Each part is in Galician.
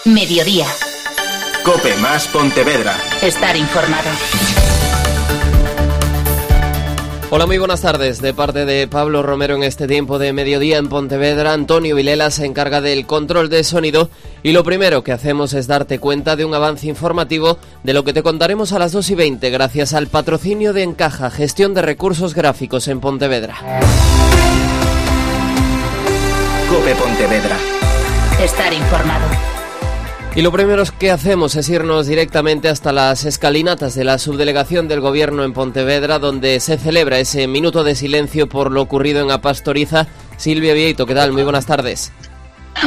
Mediodía. COPE más Pontevedra. Estar informado. Hola, muy buenas tardes. De parte de Pablo Romero en este tiempo de mediodía en Pontevedra, Antonio Vilela se encarga del control de sonido y lo primero que hacemos es darte cuenta de un avance informativo de lo que te contaremos a las 2:20 gracias al patrocinio de Encaja, gestión de recursos gráficos en Pontevedra. COPE Pontevedra. Estar informado. Y lo primero que hacemos es irnos directamente hasta las escalinatas de la subdelegación del Gobierno en Pontevedra, donde se celebra ese minuto de silencio por lo ocurrido en A Pastoriza. Silvia Vieito, ¿qué tal? Muy buenas tardes.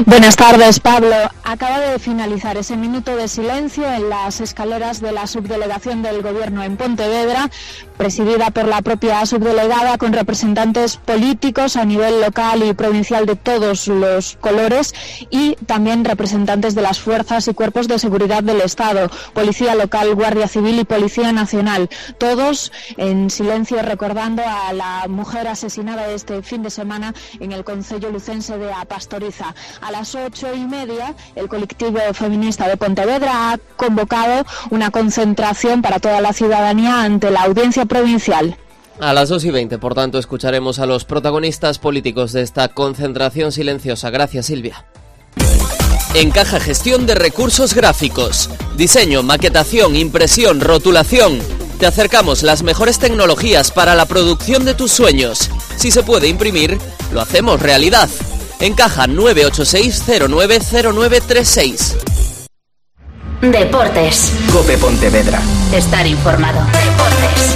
Buenas tardes, Pablo. Acaba de finalizar ese minuto de silencio en las escaleras de la subdelegación del Gobierno en Pontevedra, presidida por la propia subdelegada, con representantes políticos a nivel local y provincial de todos los colores y también representantes de las fuerzas y cuerpos de seguridad del Estado, Policía Local, Guardia Civil y Policía Nacional. Todos en silencio recordando a la mujer asesinada este fin de semana en el concello lucense de A Pastoriza. A las 8:30, el colectivo feminista de Pontevedra ha convocado una concentración para toda la ciudadanía ante la audiencia provincial. A las 2:20, por tanto, escucharemos a los protagonistas políticos de esta concentración silenciosa. Gracias, Silvia. Encaja, gestión de recursos gráficos. Diseño, maquetación, impresión, rotulación. Te acercamos las mejores tecnologías para la producción de tus sueños. Si se puede imprimir, lo hacemos realidad. Encaja 986-090936. Deportes. COPE Pontevedra. Estar informado. Deportes.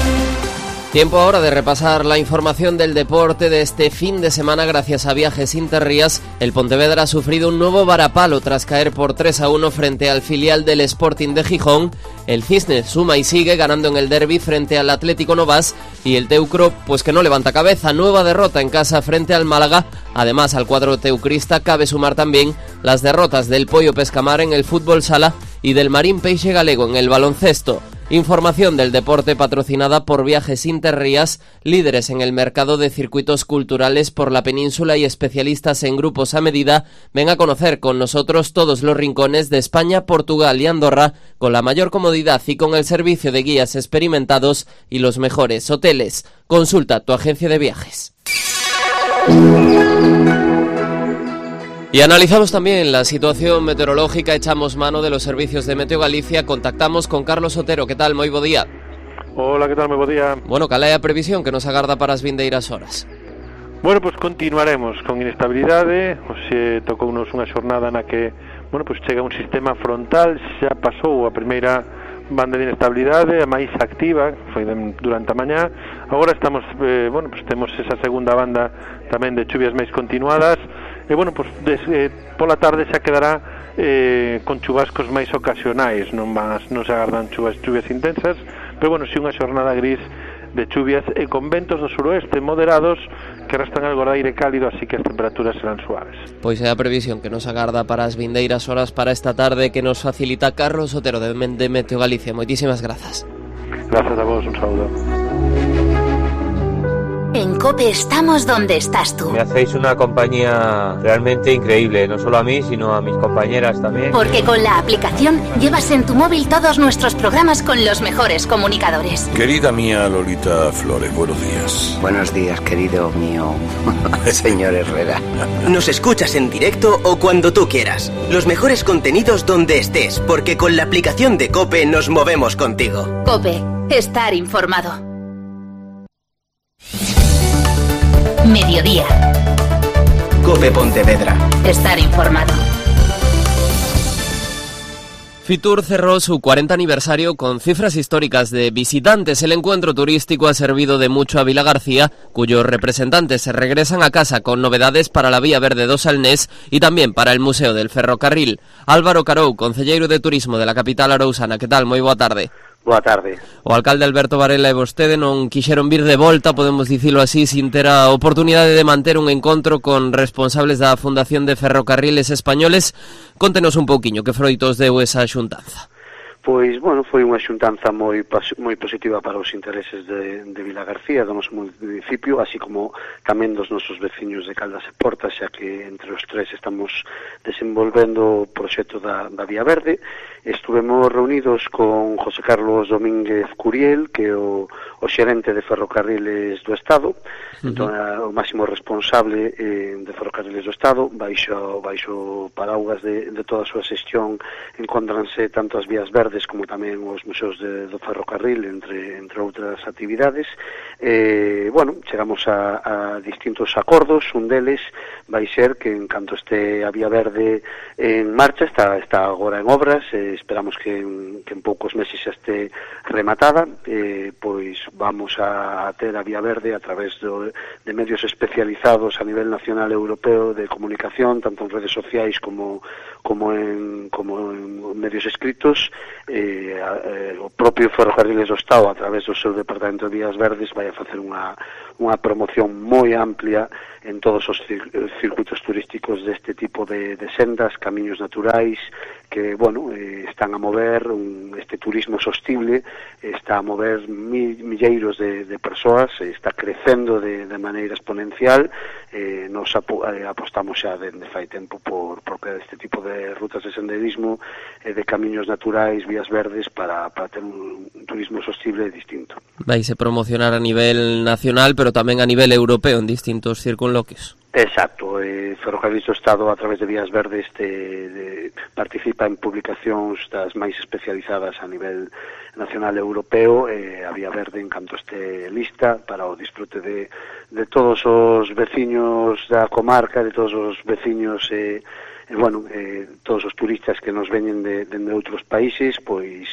Tiempo ahora de repasar la información del deporte de este fin de semana. Gracias a Viajes Interrías, el Pontevedra ha sufrido un nuevo varapalo tras caer por 3-1 frente al filial del Sporting de Gijón. El Cisne suma y sigue ganando en el derbi frente al Atlético Novas y el Teucro pues que no levanta cabeza. Nueva derrota en casa frente al Málaga. Además, al cuadro teucrista cabe sumar también las derrotas del Pollo Pescamar en el fútbol sala y del Marín Peixe Galego en el baloncesto. Información del deporte patrocinada por Viajes Interrías, líderes en el mercado de circuitos culturales por la península y especialistas en grupos a medida. Ven a conocer con nosotros todos los rincones de España, Portugal y Andorra con la mayor comodidad y con el servicio de guías experimentados y los mejores hoteles. Consulta tu agencia de viajes. Y analizamos también la situación meteorológica, echamos mano de los servicios de Meteo Galicia, contactamos con Carlos Otero. ¿Qué tal? Moi bo día. Hola, que tal? Moi bo día. Bueno, cal é a previsión que nos agarda para as vindeiras horas? Bueno, pues continuaremos con inestabilidade. Hoxe tocounos unha xornada na que, bueno, pues chega un sistema frontal, xa pasou a primeira banda de inestabilidade, a máis activa, foi durante a mañá. Agora estamos, bueno, pues temos esa segunda banda tamén de chuvias máis continuadas. E, bueno, pues pola tarde xa quedará con chubascos máis ocasionais, non se agardan chuvias intensas, pero, bueno, si unha xornada gris de chuvias e con ventos do suroeste moderados que restan algo de aire cálido, así que as temperaturas serán suaves. Pois é a previsión que nos agarda para as vindeiras horas para esta tarde que nos facilita Carlos Otero de Meteo Galicia. Moitísimas grazas. Gracias a vos, un saludo. En COPE estamos donde estás tú. Me hacéis una compañía realmente increíble, no solo a mí, sino a mis compañeras también. Porque con la aplicación llevas en tu móvil todos nuestros programas con los mejores comunicadores. Querida mía Lolita Flores, buenos días. Buenos días, querido mío señor Herrera. Nos escuchas en directo o cuando tú quieras. Los mejores contenidos donde estés, porque con la aplicación de COPE nos movemos contigo. COPE, estar informado. Mediodía. COPE Pontevedra. Estar informado. Fitur cerró su 40 aniversario con cifras históricas de visitantes. El encuentro turístico ha servido de mucho a Vila García, cuyos representantes se regresan a casa con novedades para la Vía Verde do Salnés y también para el Museo del Ferrocarril. Álvaro Carou, concelleiro de Turismo de la capital arousana. ¿Qué tal? Moi boa tarde. Boa tarde. O alcalde Alberto Varela e vostede non quixeron vir de volta, podemos dicilo así, sin ter a oportunidade de manter un encontro con responsables da Fundación de Ferrocarriles Españoles. Contenos un pouquiño que froitos deu esa xuntanza. Pois, bueno, foi unha xuntanza moi positiva para os intereses de Vilagarcía, do noso municipio, así como tamén dos nosos veciños de Caldas e Portas, xa que entre os tres estamos desenvolvendo o proxecto da Vía Verde. Estuvemos reunidos con José Carlos Domínguez Curiel, que é o xerente de Ferrocarriles do Estado, entón, o máximo responsable de Ferrocarriles do Estado, baixo paraugas de toda a súa xestión, encontranse tanto as vías verdes como tamén os museos do ferrocarril, entre outras actividades. Bueno, chegamos a distintos acordos. Un deles vai ser que en canto este a Vía Verde en marcha, está agora en obras, esperamos que en poucos meses xa este rematada, pois vamos a ter a Vía Verde a través de medios especializados a nivel nacional e europeo de comunicación, tanto en redes sociais como en medios escritos. O propio Ferrocarriles do Estado, a través do seu Departamento de Vías Verdes, vai a facer unha promoción moi amplia en todos os circuitos turísticos deste tipo de sendas, camiños naturais, que, bueno, están a mover este turismo sostible, está a mover milleiros de persoas, está crecendo de maneira exponencial. Nos apostamos xa dende fai tempo por crear este tipo de rutas de senderismo, de camiños naturais, vías verdes, para ter un turismo sostible e distinto. Vais a promocionar a nivel nacional, pero tamén a nivel europeo en distintos circunloquios. Exacto, Ferrocarriles do Estado, a través de Vías Verdes, participa en publicacións das máis especializadas a nivel nacional e europeo. A Vía Verde, en canto este lista, para o disfrute de todos os veciños da comarca, de todos os veciños todos os turistas que nos veñen de outros países, pois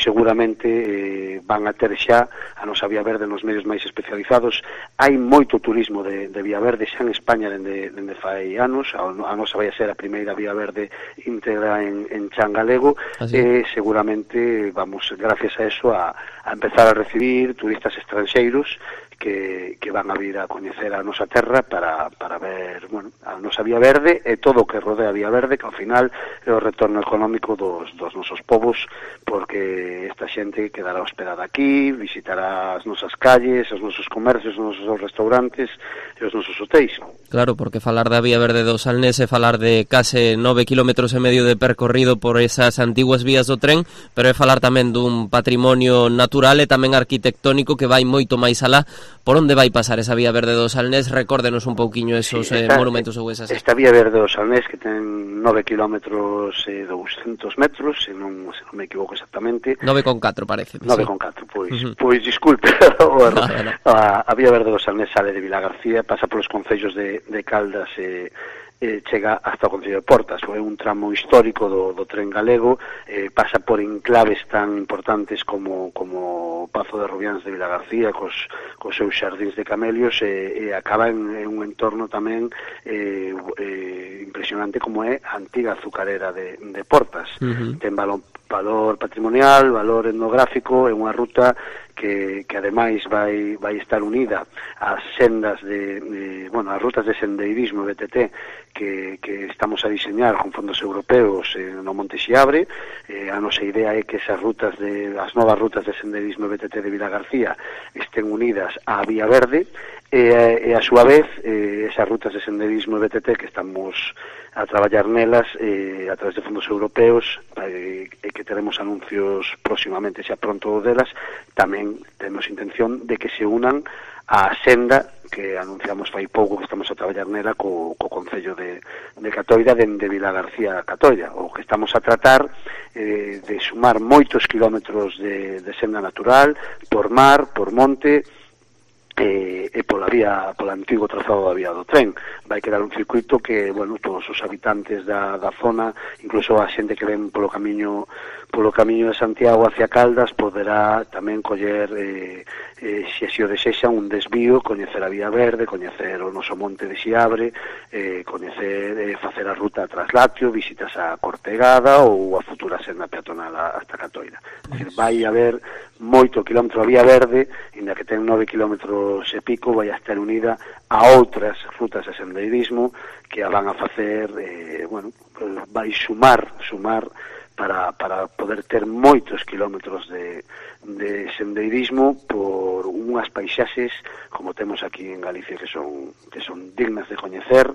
seguramente van a ter xa a nosa Vía Verde nos medios máis especializados. Hai moito turismo de Vía Verde xa en España dende fai anos. A nosa vai a ser a primeira Vía Verde íntegra en chan galego, e seguramente vamos, gracias a eso, a empezar a recibir turistas estranxeiros que van a vir a coñecer a nosa terra para ver, bueno, a nosa Vía Verde e todo o que rodea a Vía Verde, que ao final é o retorno económico dos nosos povos, porque esta xente quedará hospedada aquí, visitará as nosas calles, os nosos comercios, os nosos restaurantes e os nosos hotéis. Claro, porque falar da Vía Verde do Salnés é falar de case 9 km e medio de percorrido por esas antiguas vías do tren, pero é falar tamén dun patrimonio natural e tamén arquitectónico que vai moito máis alá. Por onde vai pasar esa Vía Verde do Salnés? Recórdenos un pouquiño esos monumentos ou esas... Esta Vía Verde do Salnés, que ten 9 km e 200 metros, se non me equivoco exactamente. 9,4 parece. 9,4, pois disculpe, a Vía Verde do Salnés sale de Vilagarcía, pasa polos concellos de Caldas e chega hasta o Concello de Portas. É un tramo histórico do tren galego, pasa por enclaves tan importantes como Pazo de Rubiáns de Vilagarcía, cos seus xardíns de camelios, e acaba en un entorno tamén impresionante como é a antiga azucarera de Portas. Ten valor patrimonial, valor etnográfico, é unha ruta que ademais vai estar unida ás sendas as rutas de sendeirismo BTT que estamos a diseñar con fondos europeos no Monte Xiabre. A nosa idea é que as novas rutas de sendeirismo BTT de Vilagarcía estén unidas á Vía Verde, e a súa vez esas rutas de sendeirismo BTT que estamos a traballar nelas a través de fondos europeos, e que teremos anuncios próximamente xa pronto delas, tamén temos intención de que se unan a senda que anunciamos fai pouco, que estamos a traballar nela co Concello de Catoira, dende Vilagarcía a Catoira. O que estamos a tratar de sumar moitos kilómetros de senda natural, por mar, por monte, e polo antigo trazado da vía do tren. Vai quedar un circuito que, bueno, todos os habitantes da zona, incluso a xente que ven polo camiño de Santiago hacia Caldas, poderá tamén coller, se así o desexa, un desvío, coñecer a Vía Verde, coñecer o noso monte de Xiabre, facer a ruta a Traslatio, visitas a Cortegada ou a futura senda peatonal hasta Catoira. Vai haber moito quilómetro a Vía Verde, inda que ten 9 kilómetros e pico, vai a estar unida a outras rutas de sendeirismo que a van a facer, vai sumar para poder ter moitos kilómetros de sendeirismo por unhas paisaxes como temos aquí en Galicia que son dignas de coñecer.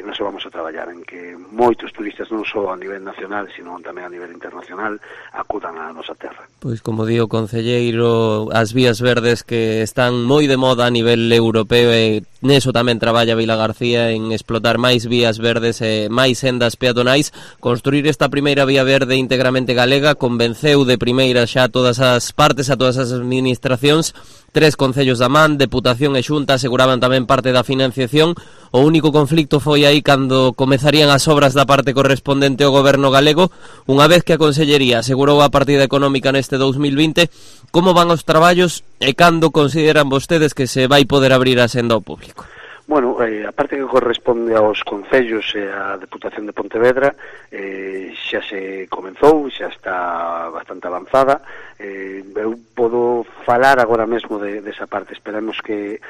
Nos vamos a traballar en que moitos turistas non só a nivel nacional, sino tamén a nivel internacional acudan á nosa terra. Pois como di o concelleiro, as vías verdes que están moi de moda a nivel europeo e neso tamén traballa Vilagarcía en explotar máis vías verdes e máis sendas peatonais. Construir esta primeira vía verde íntegramente galega convenceu de primeira xa a todas as partes, a todas as administracións. 3 concellos da man, Deputación e Xunta aseguraban tamén parte da financiación. O único conflicto foi aí cando comezarían as obras da parte correspondente ao goberno galego. Unha vez que a Consellería asegurou a partida económica neste 2020, como van os traballos e cando consideran vostedes que se vai poder abrir a senda ao público? Bueno, a parte que corresponde aos concellos e a Deputación de Pontevedra xa se comenzou, xa está bastante avanzada. Eu podo falar agora mesmo desa parte. Esperamos que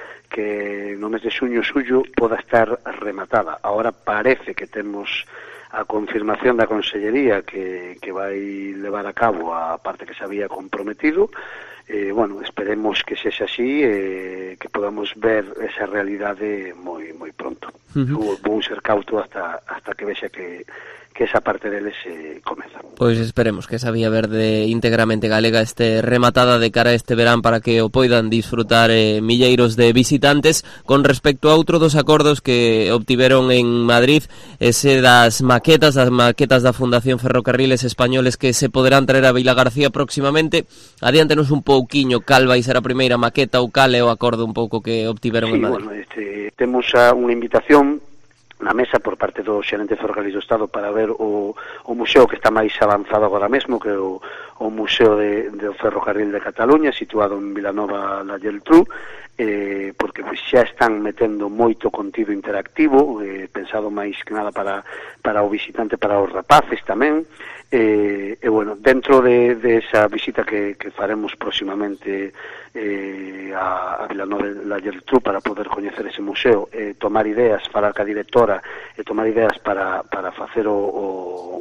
no mes de xuño, xullo poda estar rematada. Agora parece que temos a confirmación da Consellería que vai levar a cabo a parte que se había comprometido. Bueno, esperemos que sexa así, que podamos ver esa realidade moi pronto. Vou ser cauto hasta que vexa que esa parte deles se comeza. Pois esperemos que esa vía verde íntegramente galega este rematada de cara a este verán para que o poidan disfrutar milleiros de visitantes. Con respecto a outro dos acordos que obtiveron en Madrid, ese das maquetas da Fundación Ferrocarriles Españoles que se poderán traer a Vilagarcía próximamente. Adiántenos un pouquiño cal vai ser a primeira maqueta ou cal é o acordo un pouco que obtiveron en Madrid. Bueno, temos unha invitación na mesa por parte do xerente de Ferrocarriles do Estado para ver o museo que está máis avanzado agora mesmo, que é o Museo do Ferrocarril de Cataluña, situado en Vilanova la Geltrú, porque xa están metendo moito contido interactivo, pensado máis que nada para o visitante, para os rapaces tamén. Bueno, dentro de esa visita que faremos próximamente a Vilanova la Geltrú para poder coñecer ese museo, tomar ideas, falar ca directora e tomar ideas para facer o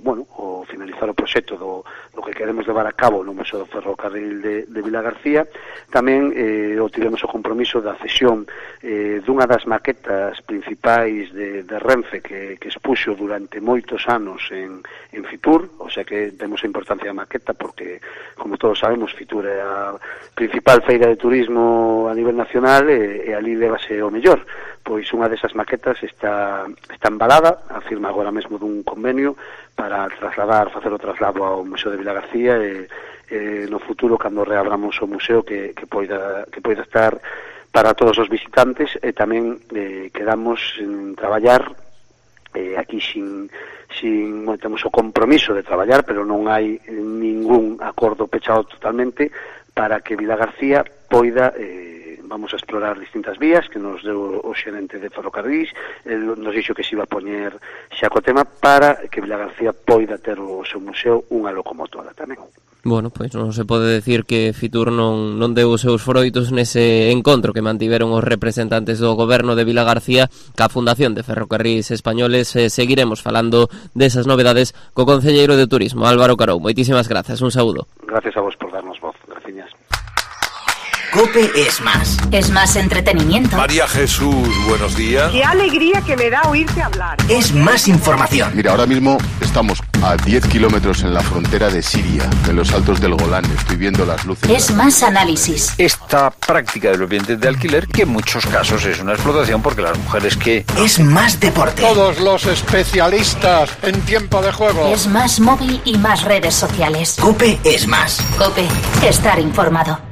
finalizar o proxecto do que queremos levar a cabo no Museo do Ferrocarril de Vilagarcía. Tamén tivemos o compromiso da cesión dunha das maquetas principais de Renfe que expuxo durante moitos anos en Fitur, o sea que temos a importancia da maqueta porque, como todos sabemos, Fitur é a principal feira de turismo a nivel nacional e ali levase o mellor. Pois unha desas maquetas está embalada, a firma agora mesmo dun convenio para facer o traslado ao Museo de Vilagarcía e no futuro, cando reabramos o museo, que poida estar para todos os visitantes. E tamén quedamos en traballar aquí temos o compromiso de traballar, pero non hai ningún acordo pechado totalmente para que Vilagarcía poida vamos a explorar distintas vías que nos deu o xerente de Ferrocarrís. Nos dixo que se iba a poñer xa co tema para que Vilagarcía poida ter o seu museo unha locomotora tamén. Bueno, pois non se pode decir que Fitur non deu os seus froitos nese encontro que mantiveron os representantes do goberno de Vilagarcía ca Fundación de Ferrocarrís Españoles. Seguiremos falando desas novedades co concelleiro de Turismo, Álvaro Carou. Moitísimas grazas, un saúdo. Gracias a vos por darnos voz, graciñas. COPE es más. Es más entretenimiento. María Jesús, buenos días. Qué alegría que me da oírte hablar. Es más información. Mira, ahora mismo estamos a 10 kilómetros en la frontera de Siria, en los altos del Golán. Estoy viendo las luces. Es más análisis. Esta práctica de los bienes de alquiler, que en muchos casos es una explotación porque las mujeres que... Es más deporte. Todos los especialistas en tiempo de juego. Es más móvil y más redes sociales. COPE es más. COPE, estar informado.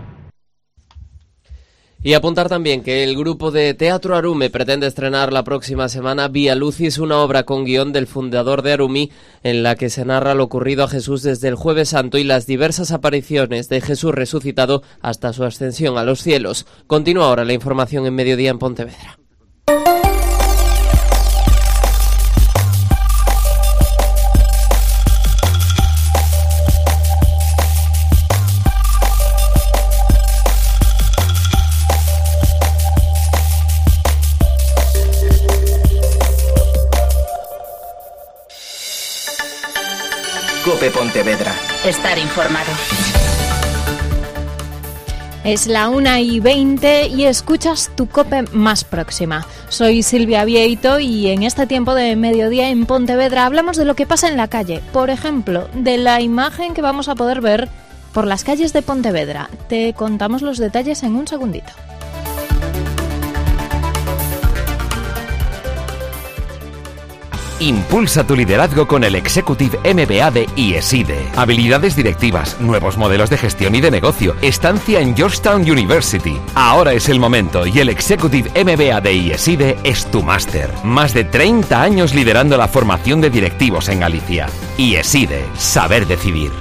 Y apuntar también que el grupo de Teatro Arume pretende estrenar la próxima semana Vía Lucis, una obra con guión del fundador de Arumí, en la que se narra lo ocurrido a Jesús desde el Jueves Santo y las diversas apariciones de Jesús resucitado hasta su ascensión a los cielos. Continúa ahora la información en Mediodía en Pontevedra. COPE Pontevedra. Estar informado. Es la 1:20 y escuchas tu COPE más próxima. Soy Silvia Vieito y en este tiempo de mediodía en Pontevedra hablamos de lo que pasa en la calle. Por ejemplo, de la imagen que vamos a poder ver por las calles de Pontevedra. Te contamos los detalles en un segundito. Impulsa tu liderazgo con el Executive MBA de IESIDE. Habilidades directivas, nuevos modelos de gestión y de negocio, estancia en Georgetown University. Ahora es el momento y el Executive MBA de IESIDE es tu máster. Más de 30 años liderando la formación de directivos en Galicia. IESIDE, saber decidir.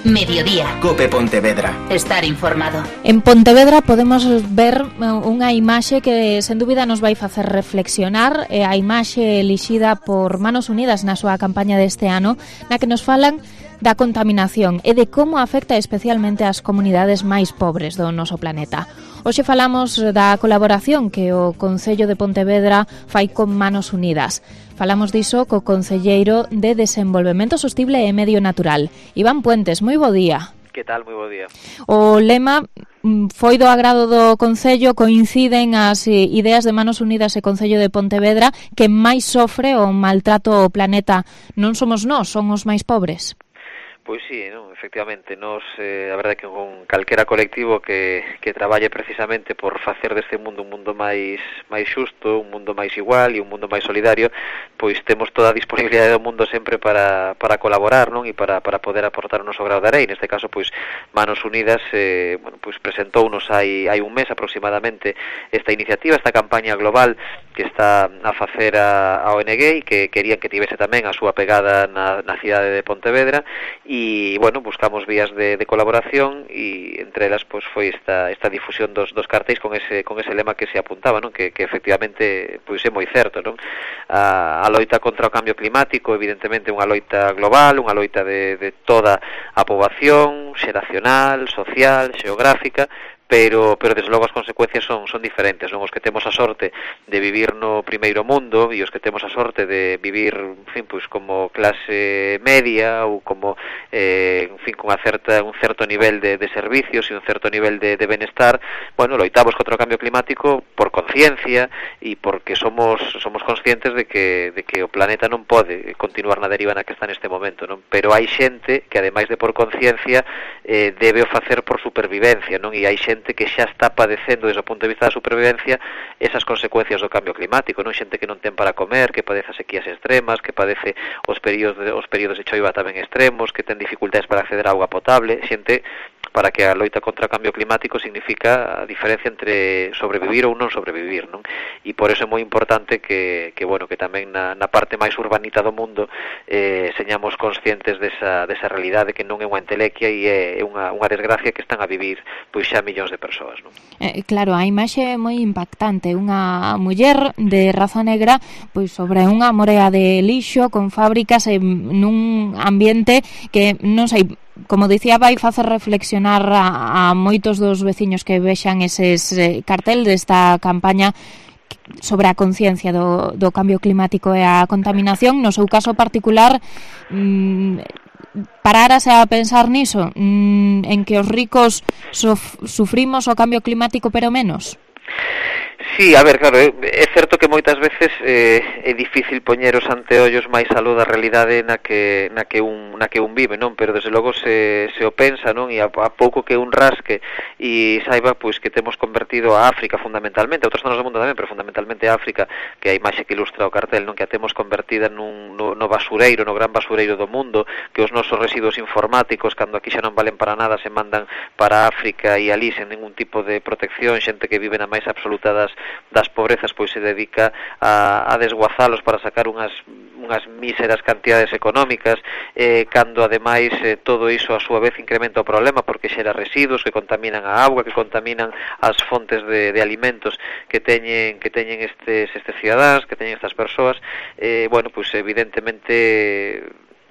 Mediodía. COPE Pontevedra. Estar informado. En Pontevedra podemos ver unha imaxe que sen dúbida nos vai facer reflexionar, a imaxe elixida por Manos Unidas na súa campaña deste ano, na que nos falan da contaminación e de como afecta especialmente ás comunidades máis pobres do noso planeta. Hoxe falamos da colaboración que o Concello de Pontevedra fai con Manos Unidas. Falamos diso co concelleiro de Desenvolvemento Sostible e Medio Natural, Iván Puentes. Moi bo día. Que tal? Moi bo día. O lema foi do agrado do Concello, coinciden as ideas de Manos Unidas e Concello de Pontevedra, que máis sofre o maltrato ao planeta non somos nós, son os máis pobres. Pois sí, non, efectivamente, nos, a verdade que con calquera colectivo que traballe precisamente por facer deste mundo un mundo máis xusto, un mundo máis igual e un mundo máis solidario, pois temos toda a disponibilidade do mundo sempre para colaborar, non? E para poder aportar o noso grao de arei. Neste caso, pois, Manos Unidas pois presentounos hai un mes aproximadamente esta iniciativa, esta campaña global que está a facer a ONG e que querían que tivese tamén a súa pegada na cidade de Pontevedra. E, bueno, buscamos vías de colaboración e entre elas pois foi esta difusión dos cartéis con ese lema que se apuntaba, non? Que efectivamente pois é moi certo, non? A loita contra o cambio climático, evidentemente unha loita global, unha loita de toda a poboación, xeracional, social, xeográfica, pero desde logo as consecuencias son diferentes, non? Os que temos a sorte de vivir no primeiro mundo e os que temos a sorte de vivir, en fin, pois como clase media ou como en fin, con un certo nivel de servicios e un certo nivel de benestar, bueno, loitamos contra o cambio climático por conciencia e porque somos conscientes de que o planeta non pode continuar na deriva na que está neste momento, non? Pero hai xente que ademais de por conciencia debe o facer por supervivencia, non? E hai xente que xa está padecendo desde o punto de vista da supervivencia esas consecuencias do cambio climático, non? Xente que non ten para comer, que padece sequías extremas, que padece os períodos de choiva tamén extremos, que ten dificultades para acceder a auga potable, xente para que a loita contra o cambio climático significa a diferencia entre sobrevivir ou non sobrevivir, non? E por eso é moi importante que tamén na parte máis urbanita do mundo señamos conscientes desa realidade que non é unha entelequia e é unha desgracia que están a vivir pois xa millóns de persoas, non? Claro, a imaxe é moi impactante, unha muller de raza negra pois sobre unha morea de lixo con fábricas nun ambiente que non sei, como dicía, vai facer reflexionar a moitos dos veciños que vexan eses cartel desta campaña sobre a conciencia do cambio climático e a contaminación. No seu caso particular, parárase a pensar niso, en que os ricos sufrimos o cambio climático pero menos? Sí, a ver, claro, é certo que moitas veces é difícil poñer os anteollos máis a luz da realidade na que un vive, non? Pero desde logo se o pensa, non? E a pouco que un rasque e saiba pois que temos convertido a África fundamentalmente, a outras zonas do mundo tamén, pero fundamentalmente a África, que a imaxe que ilustra o cartel, non? Que a temos convertida no basureiro, no gran basureiro do mundo, que os nosos residuos informáticos, cando aquí xa non valen para nada, se mandan para África e alí sen ningún tipo de protección, xente que vive na máis absoluta das pobrezas pois se dedica a desguazalos para sacar unhas míseras cantidades económicas, cando ademais todo iso a súa vez incrementa o problema porque xera residuos que contaminan a auga, que contaminan as fontes de alimentos que teñen estes cidadáns, que teñen estas persoas. Bueno, pois evidentemente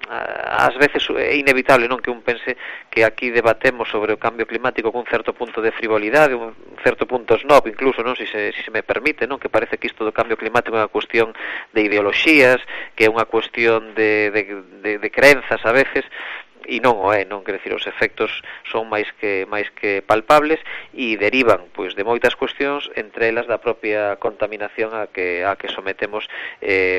ás veces é inevitable, non, que un pense que aquí debatemos sobre o cambio climático con un certo punto de frivolidade, un certo punto snob incluso, non, se me permite, non, que parece que isto do cambio climático é unha cuestión de ideoloxías, que é unha cuestión de crenzas a veces, e non o é, non, quer decir, os efectos son máis que palpables e derivan, pois, de moitas cuestións, entre elas da propia contaminación a que sometemos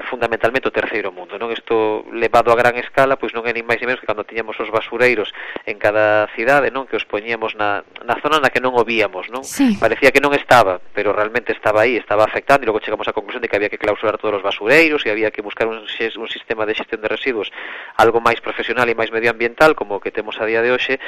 fundamentalmente o terceiro mundo, non? Isto levado a gran escala, pois non é nin máis nin menos que cando tiñamos os basureiros en cada cidade, non, que os poñíamos na zona na que non o víamos, non? Sí. Parecía que non estaba, pero realmente estaba aí, estaba afectando, e logo chegamos á conclusión de que había que clausurar todos os basureiros e había que buscar un sistema de xestión de residuos algo máis profesional e máis medioambiental, como que temos a día de hoxe.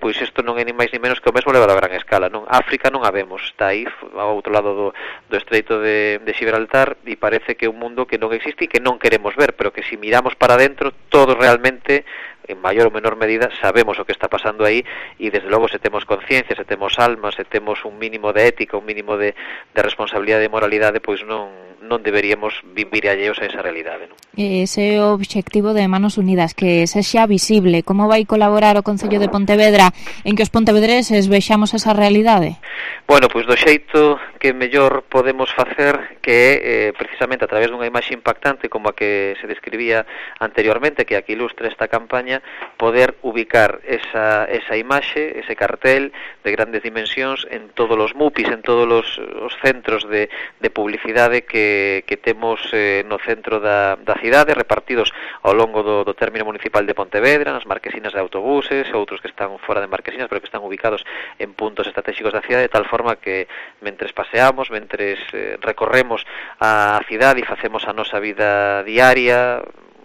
Pois isto non é ni máis ni menos que o mesmo levado a gran escala, non? África non a vemos, está aí ao outro lado do estreito de Gibraltar, e parece que é un mundo que non existe e que non queremos ver, pero que si miramos para dentro, todos realmente, en maior ou menor medida, sabemos o que está pasando aí, e desde logo, se temos conciencia, se temos alma, se temos un mínimo de ética, un mínimo de responsabilidade e moralidade, pois non deberíamos vivir alleos a esa realidade, non? Ese é o obxectivo de Manos Unidas, que sexa visible. Como vai colaborar o Concello de Pontevedra en que os pontevedreses vexamos esa realidade? Bueno, pois do xeito que mellor podemos facer, que é precisamente a través dunha imaxe impactante como a que se describía anteriormente, que aquí ilustra esta campaña, poder ubicar esa imaxe, ese cartel de grandes dimensións en todos os MUPIs, en todos os centros de publicidade que temos no centro da cidade, repartidos ao longo do término municipal de Pontevedra, nas marquesinas de autobuses, outros que están fora de marquesinas, pero que están ubicados en puntos estratégicos da cidade, de tal forma que mentres paseamos, mentres recorremos a cidade e facemos a nosa vida diaria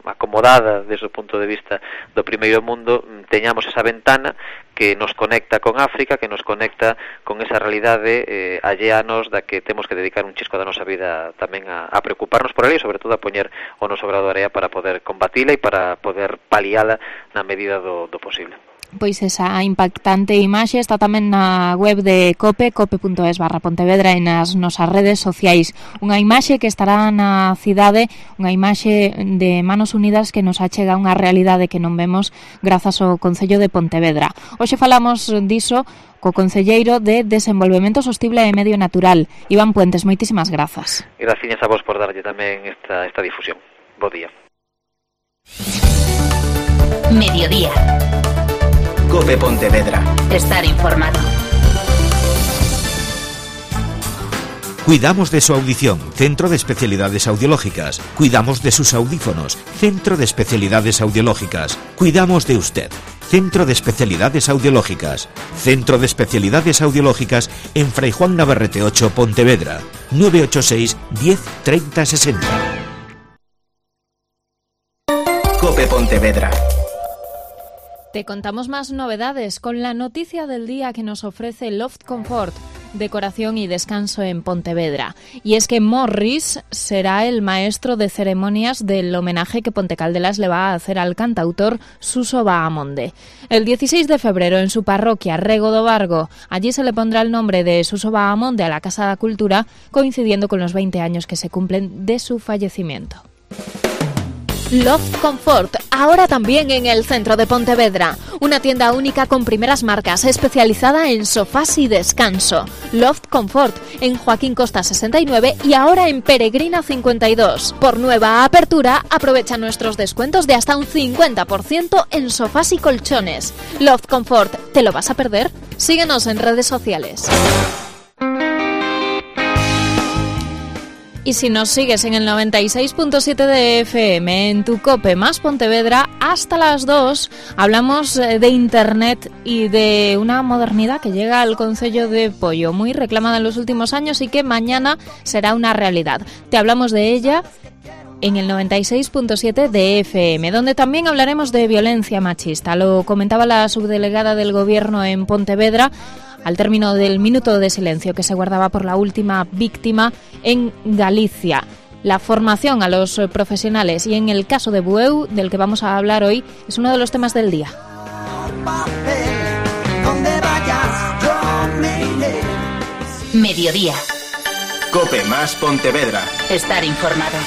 acomodada desde o punto de vista do primeiro mundo, teñamos esa ventana que nos conecta con África, que nos conecta con esa realidade alleanos da que temos que dedicar un chisco da nosa vida tamén a preocuparnos por ela, e sobre todo a poñer o noso grado de area para poder combatila e para poder paliala na medida do posible. Pois esa impactante imaxe está tamén na web de COPE, cope.es/Pontevedra, e nas nosas redes sociais. Unha imaxe que estará na cidade, unha imaxe de Manos Unidas que nos achega unha realidade que non vemos grazas ao Concello de Pontevedra. Hoxe falamos diso co concelleiro de Desenvolvemento Sostible e Medio Natural, Iván Puentes. Moitísimas grazas. Gracias a vos por darlle tamén esta difusión. Bo día. Mediodía. COPE Pontevedra. Estar informado. Cuidamos de su audición, Centro de Especialidades Audiológicas. Cuidamos de sus audífonos, Centro de Especialidades Audiológicas. Cuidamos de usted, Centro de Especialidades Audiológicas. Centro de Especialidades Audiológicas en Fray Juan Navarrete 8, Pontevedra. 986 10 30 60. COPE Pontevedra. Te contamos más novedades con la noticia del día que nos ofrece Loft Comfort, decoración y descanso en Pontevedra. Y es que Morris será el maestro de ceremonias del homenaje que Pontecaldelas le va a hacer al cantautor Suso Bahamonde. El 16 de febrero en su parroquia Rego do Vargo, allí se le pondrá el nombre de Suso Bahamonde a la Casa da Cultura, coincidiendo con los 20 años que se cumplen de su fallecimiento. Loft Comfort, ahora también en el centro de Pontevedra. Una tienda única con primeras marcas, especializada en sofás y descanso. Loft Comfort, en Joaquín Costa 69 y ahora en Peregrina 52. Por nueva apertura, aprovecha nuestros descuentos de hasta un 50% en sofás y colchones. Loft Comfort, ¿te lo vas a perder? Síguenos en redes sociales. Y si nos sigues en el 96.7 de FM, en tu COPE más Pontevedra, hasta las 2 hablamos de Internet y de una modernidad que llega al Concello de Pollo, muy reclamada en los últimos años y que mañana será una realidad. Te hablamos de ella en el 96.7 de FM, donde también hablaremos de violencia machista. Lo comentaba la subdelegada del Gobierno en Pontevedra al término del minuto de silencio que se guardaba por la última víctima en Galicia. La formación a los profesionales y en el caso de Bueu, del que vamos a hablar hoy, es uno de los temas del día. Mediodía. COPE más Pontevedra. Estar informado.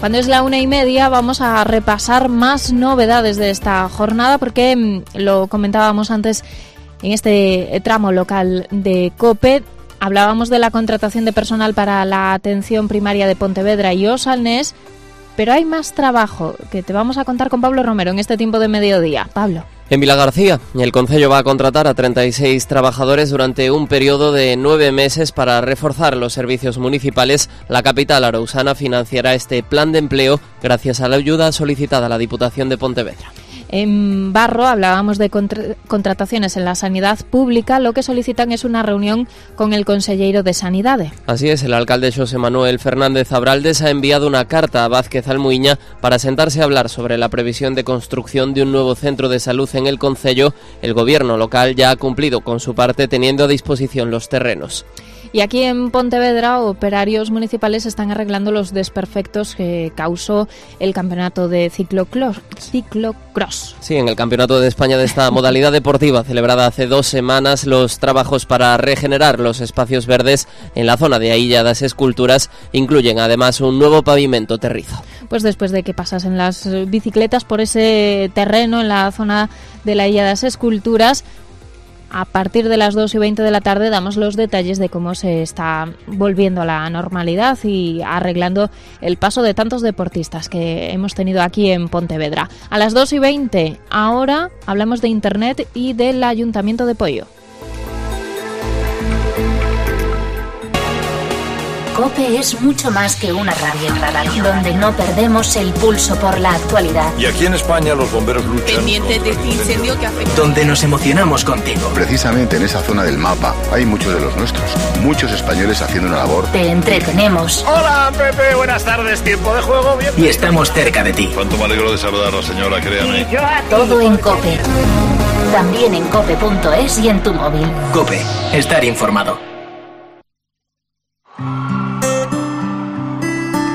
Cuando es la 1:30 vamos a repasar más novedades de esta jornada, porque lo comentábamos antes en este tramo local de COPE. Hablábamos de la contratación de personal para la atención primaria de Pontevedra y Osalnés, pero hay más trabajo que te vamos a contar con Pablo Romero en este tiempo de mediodía. Pablo. En Vilagarcía, el concello va a contratar a 36 trabajadores durante un periodo de 9 meses para reforzar los servicios municipales. La capital arousana financiará este plan de empleo gracias a la ayuda solicitada a la Diputación de Pontevedra. En Barro hablábamos de contrataciones en la sanidad pública. Lo que solicitan es una reunión con el conselleiro de Sanidade. Así es, el alcalde Xosé Manuel Fernández Abraldes ha enviado una carta a Vázquez Almuiña para sentarse a hablar sobre la previsión de construcción de un nuevo centro de salud en el concello. El gobierno local ya ha cumplido con su parte teniendo a disposición los terrenos. Y aquí en Pontevedra, operarios municipales están arreglando los desperfectos que causó el campeonato de ciclocross. Sí, en el Campeonato de España de esta modalidad deportiva, celebrada hace 2 semanas, los trabajos para regenerar los espacios verdes en la zona de Illa das Esculturas incluyen además un nuevo pavimento terrizo. Pues después de que pasasen las bicicletas por ese terreno en la zona de la Illa das Esculturas, a partir de las 2:20 de la tarde damos los detalles de cómo se está volviendo a la normalidad y arreglando el paso de tantos deportistas que hemos tenido aquí en Pontevedra. A las 2:20 ahora hablamos de Internet y del Ayuntamiento de Poio. COPE es mucho más que una radio, donde no perdemos el pulso por la actualidad. Y aquí en España los bomberos luchan. Pendientes de este incendio que afecta. Donde nos emocionamos contigo. Precisamente en esa zona del mapa hay muchos de los nuestros. Muchos españoles haciendo una labor. Te entretenemos. Hola, Pepe, buenas tardes. Tiempo de juego, bien. Y estamos cerca de ti. Cuánto me alegro de saludarla, señora, créame. Todo en COPE. También en cope.es y en tu móvil. COPE. Estar informado.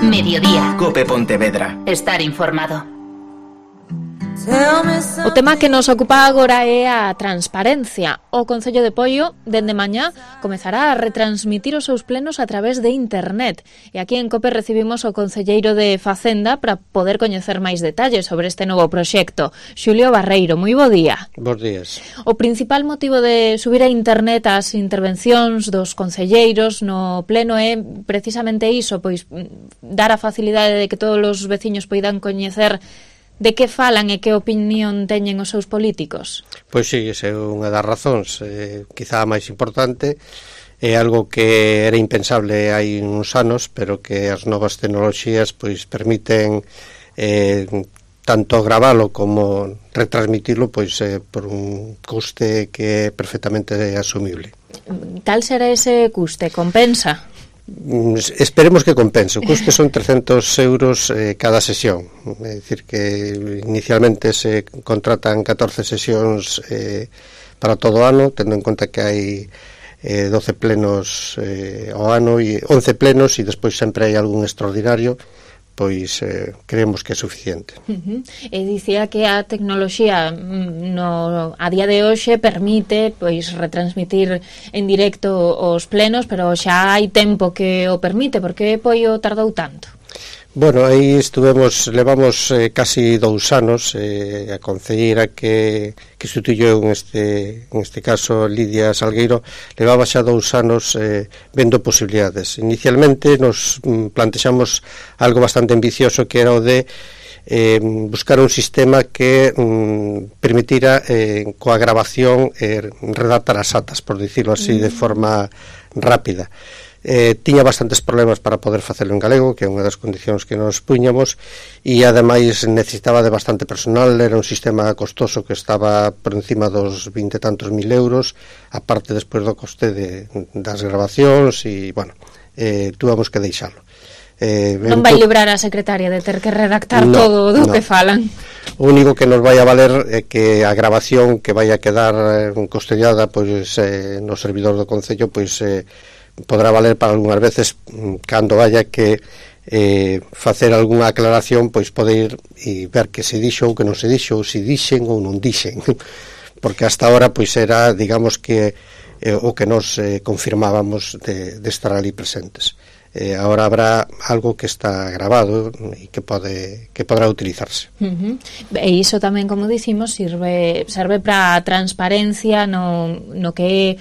Mediodía. COPE Pontevedra. Estar informado. O tema que nos ocupa agora é a transparencia. O Concello de Poio, dende mañá, comezará a retransmitir os seus plenos a través de internet. E aquí en COPE recibimos o concelleiro de Facenda para poder coñecer máis detalles sobre este novo proxecto. Xulio Barreiro, moi bo día. Bos días. O principal motivo de subir a internet as intervencións dos concelleiros no pleno é precisamente iso, pois dar a facilidade de que todos os veciños poidan coñecer de que falan e que opinión teñen os seus políticos? Pois sí, esa é unha das razóns, quizá a máis importante. É algo que era impensable hai uns anos, pero que as novas tecnoloxías pois permiten tanto gravalo como retransmitilo pois por un custe que é perfectamente asumible. Cal será ese custe? Compensa? Esperemos que compense. O custe son 300 euros cada sesión. É dicir que inicialmente se contratan 14 sesións para todo o ano, tendo en conta que hai 12 plenos ao ano e 11 plenos, e despois sempre hai algún extraordinario, pois creemos que é suficiente. E dicía que a tecnoloxía a día de hoxe permite pois retransmitir en directo os plenos, pero xa hai tempo que o permite. Por que Poio tardou tanto? Bueno, aí levamos casi 2 anos. A concelleira que sustituyou en este caso Lidia Salgueiro levaba xa 2 anos vendo posibilidades. Inicialmente nos plantexamos algo bastante ambicioso, que era o de buscar un sistema que permitira coa grabación redactar as atas, por dicirlo así, de forma rápida. Tiña bastantes problemas para poder facelo en galego, que é unha das condicións que nos puñamos, e ademais necesitaba de bastante personal. Era un sistema costoso que estaba por encima dos 20 e tantos mil euros, aparte despois do coste das grabacións, e bueno, tuvamos que deixalo. Non vai librar a secretaria de ter que redactar todo do que falan. O único que nos vai a valer é que a grabación que vai a quedar custodiada pois no servidor do Concello pois podrá valer para algunhas veces cando haya que facer algunha aclaración, pois poder ir e ver que se dixo ou que non se dixo, ou se dixen ou non dixen, porque hasta ahora pois era, digamos que o que nos confirmábamos de estar ali presentes. ahora habrá algo que está grabado e que podrá utilizarse. E iso tamén, como dicimos, serve para a transparencia no que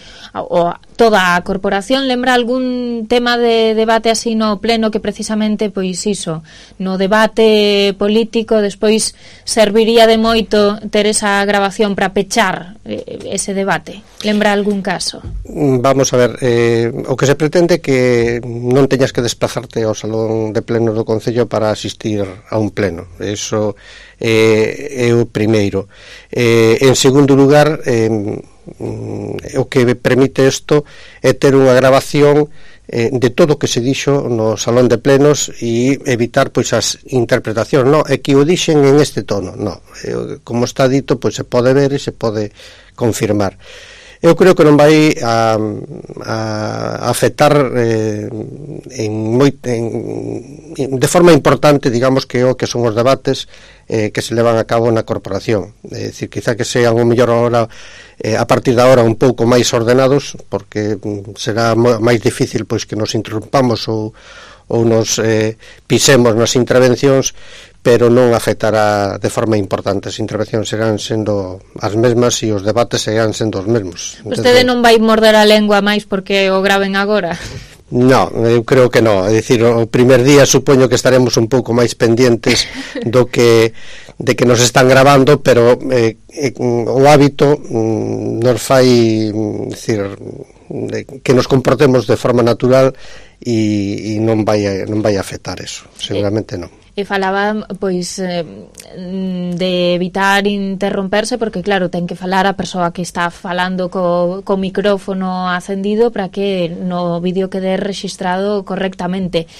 toda a corporación. Lembra algún tema de debate así no pleno que precisamente, pois iso, no debate político despois serviría de moito ter esa grabación para pechar ese debate? Lembra algún caso? Vamos a ver, o que se pretende que non teñas que desplazarte ao salón de pleno do Concello para asistir a un pleno. Eso é o primeiro. En segundo lugar, o que permite isto é ter unha grabación de todo o que se dixo no salón de plenos e evitar pois as interpretacións. No, é que o dixen en este tono. No, como está dito, pois se pode ver e se pode confirmar. Eu creo que non vai a afectar de forma importante, digamos, que o que son os debates que se levan a cabo na corporación. É dicir, quizá que sean o mellor ahora, a partir de agora, un pouco máis ordenados, porque será máis difícil pois que nos interrumpamos ou nos pisemos nas intervencións, pero non afectará de forma importante. As intervencións serán sendo as mesmas e os debates serán sendo os mesmos. Vostede non vai morder a lengua máis porque o graven agora? No, eu creo que non. É dicir, o primer día supoño que estaremos un pouco máis pendientes de que nos están grabando, pero o hábito nos fai, decir, que nos comportemos de forma natural e non vai a afectar eso, seguramente non. E falaba, pois, de evitar interromperse, porque, claro, ten que falar a persoa que está falando co micrófono acendido para que no vídeo quede registrado correctamente.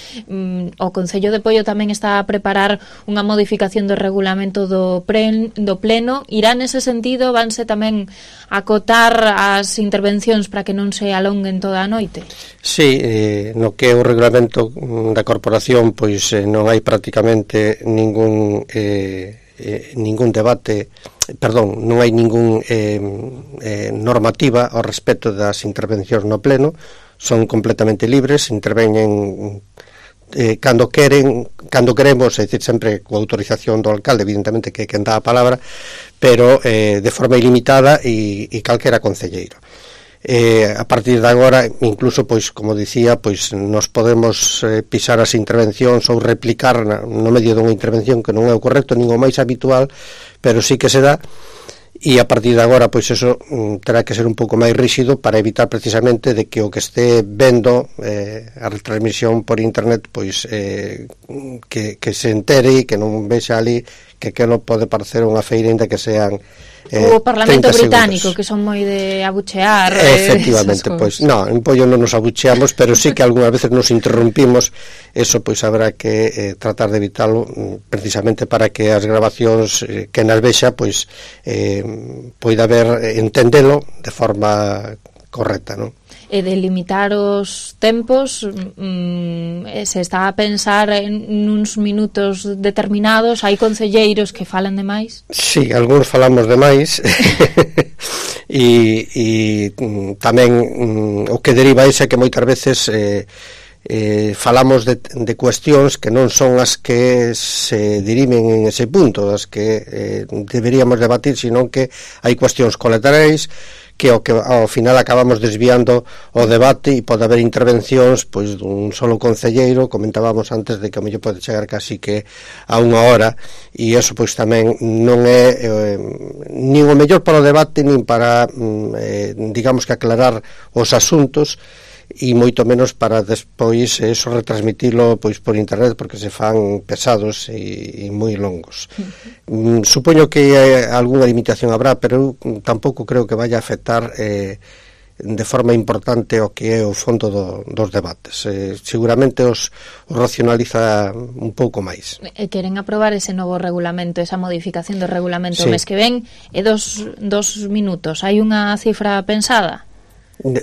O Concello de Poio tamén está a preparar unha modificación do regulamento do pleno. Irá nese sentido? Vanse tamén acotar as intervencións para que non se alonguen toda a noite? Sí, no que é o regulamento da corporación, pois non hai prácticamente ningún debate, non hai ningún normativa ao respecto das intervencións no pleno. Son completamente libres, interveñen cando queremos, é dicir, sempre coa autorización do alcalde, evidentemente que é quen dá a palabra, pero de forma ilimitada e calquera concelleiro. A partir de agora, incluso, pois, como dicía, pois nos podemos pisar as intervencións ou replicar no medio dunha intervención que non é o correcto, nin o máis habitual, pero sí que se dá. E a partir de agora, pois eso terá que ser un pouco máis rígido para evitar precisamente de que o que este vendo a retransmisión por internet, pois que se entere e que non vexa ali que non pode parecer unha feira ainda que sean o Parlamento británico, que son moi de abuchear. Efectivamente, pois en Poio non nos abucheamos, pero sí que algunhas veces nos interrumpimos. Eso pois habrá que tratar de evitalo, precisamente para que as grabacións que nas vexa pois poida haber entendelo de forma correcta, non? E de limitar os tempos, se está a pensar en uns minutos determinados. Hai concelleiros que falan demais? Sí, algúns falamos demais e tamén o que deriva é que moitas veces falamos de cuestións que non son as que se dirimen en ese punto, as que deberíamos debatir, sino que hai cuestións colaterais que ao final acabamos desviando o debate e pode haber intervencións pois dun solo concelleiro. Comentábamos antes de que o mellor pode chegar casi que a unha hora, e eso pois tamén non é nin o mellor para o debate, nin para digamos que aclarar os asuntos, e moito menos para despois eso retransmitilo pois por internet, porque se fan pesados e moi longos. Supoño que algunha limitación habrá, pero eu tampouco creo que vaya a afectar de forma importante o que é o fondo dos debates. Seguramente os racionaliza un pouco máis. Queren aprobar ese novo regulamento, esa modificación do regulamento o mes que ven, e dos minutos. Hai unha cifra pensada?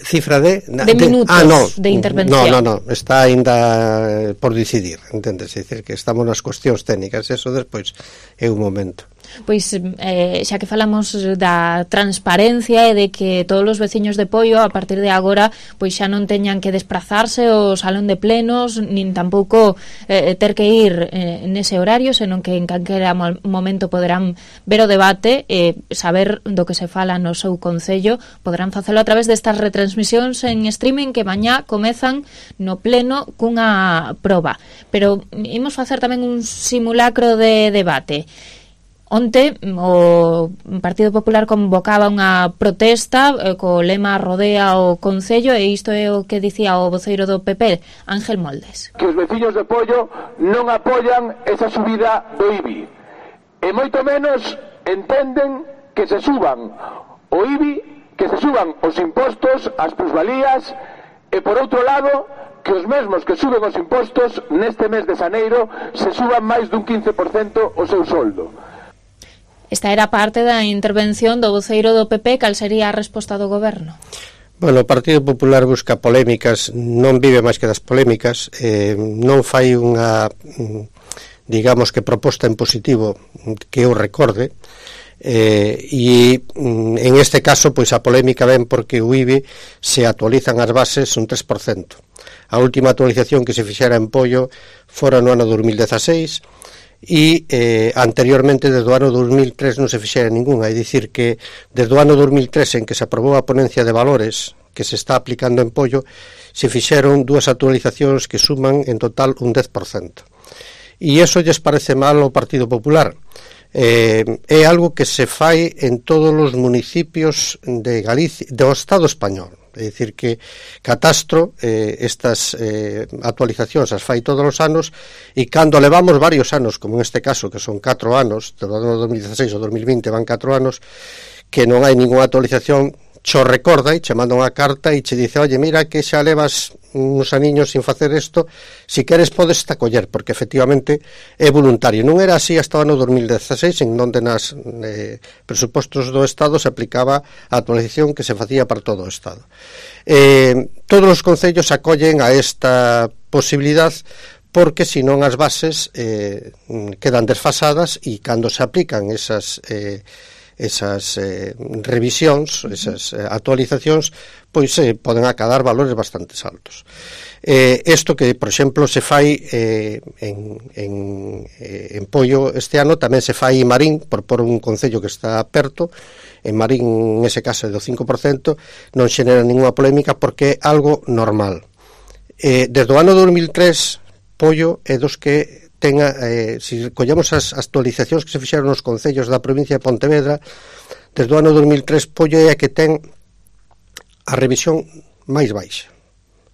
Cifra de minutos de intervención. No, está ainda por decidir, entendes? É dicir, que estamos nas cuestións técnicas, eso despois é un momento. Pois xa que falamos da transparencia e de que todos os veciños de Poio a partir de agora pois xa non teñan que desplazarse ao salón de plenos nin tampouco ter que ir nese horario, senón que en calquera momento poderán ver o debate e saber do que se fala no seu concello, poderán facelo a través destas retransmisións en streaming que mañá comezan no pleno cunha proba. Pero imos facer tamén un simulacro de debate. Onte o Partido Popular convocaba unha protesta co lema Rodea o Concello, e isto é o que dicía o voceiro do PP, Ángel Moldes. Que os veciños de Pollo non apoian esa subida do IBI, e moito menos entenden que se suban o IBI, que se suban os impostos, as plusvalías, e por outro lado que os mesmos que suben os impostos neste mes de xaneiro se suban máis dun 15% o seu soldo. Esta era parte da intervención do voceiro do PP. Cal sería a resposta do goberno? Bueno, o Partido Popular busca polémicas, non vive máis que das polémicas, non fai unha, digamos que proposta en positivo que eu recorde, e en este caso pois a polémica ven porque o IBI se actualizan as bases un 3%. A última actualización que se fixera en Pollo fora no ano 2016, e anteriormente desde o ano 2003 non se fixera ninguna, é dicir que desde o ano 2003 en que se aprobou a ponencia de valores que se está aplicando en Pollo se fixeron dúas actualizacións que suman en total un 10%, e iso lles parece mal ao Partido Popular. É algo que se fai en todos os municipios de Galicia, do Estado español. É dicir que Catastro estas actualizacións as fai todos os anos, e cando levamos varios anos, como en este caso que son 4 anos, do ano 2016 ao 2020 van 4 anos que non hai ninguna actualización, cho recorda e che manda unha carta e che dice, oye, mira que xa levas uns aniños sin facer isto, si queres podes acoller, porque efectivamente é voluntario. Non era así hasta o ano 2016, en onde nas presupostos do Estado se aplicaba a actualización que se facía para todo o Estado. Todos os concellos acollen a esta posibilidad, porque senón as bases quedan desfasadas, e cando se aplican esas revisións, esas actualizacións, pois poden acadar valores bastante altos. Isto que, por exemplo, se fai en Pollo este ano, tamén se fai en Marín, por un concello que está perto. En Marín, en ese caso, é do 5%, non xenera ninguna polémica porque é algo normal. Desde o ano 2003, Pollo é dos que se collemos as actualizacións que se fixeron nos concellos da provincia de Pontevedra, desde o ano 2003 Pollo é a que ten a revisión máis baixa,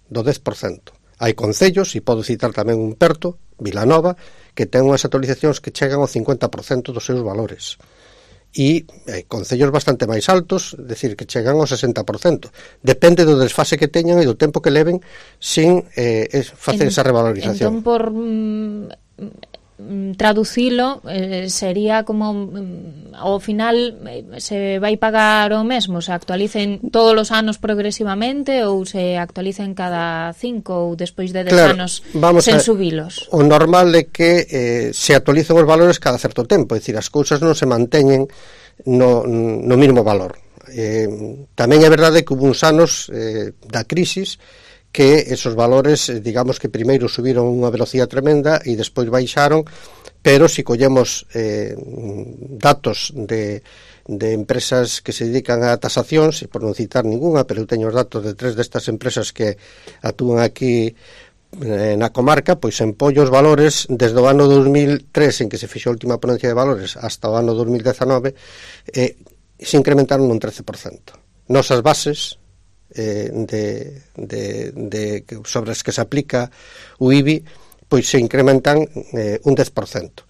do 10%. Hai concellos, e podo citar tamén un perto, Vilanova, que ten unhas actualizacións que chegan ao 50% dos seus valores, e concellos bastante máis altos, decir, que chegan ao 60%. Depende do desfase que teñan e do tempo que leven sin facer esa revalorización. Entón, por traducilo, sería como ao final se vai pagar o mesmo, se actualicen todos os anos progresivamente ou se actualicen cada 5 ou despois de 10 anos sen subilos. O normal é que se actualicen os valores cada certo tempo, é dicir, as cousas non se manteñen no mínimo valor. Tamén é verdade que hubo uns anos da crisis que esos valores, digamos que primeiro subiron unha velocidade tremenda e despois baixaron, pero se collemos datos de empresas que se dedican a tasacións, e por non citar ninguna, pero eu teño os datos de 3 destas empresas que actúan aquí na comarca, pois en Pollo os valores desde o ano 2003, en que se fixo a última ponencia de valores, hasta o ano 2019 se incrementaron un 13%. Nosas bases sobre as que se aplica o IBI pois se incrementan un 10%.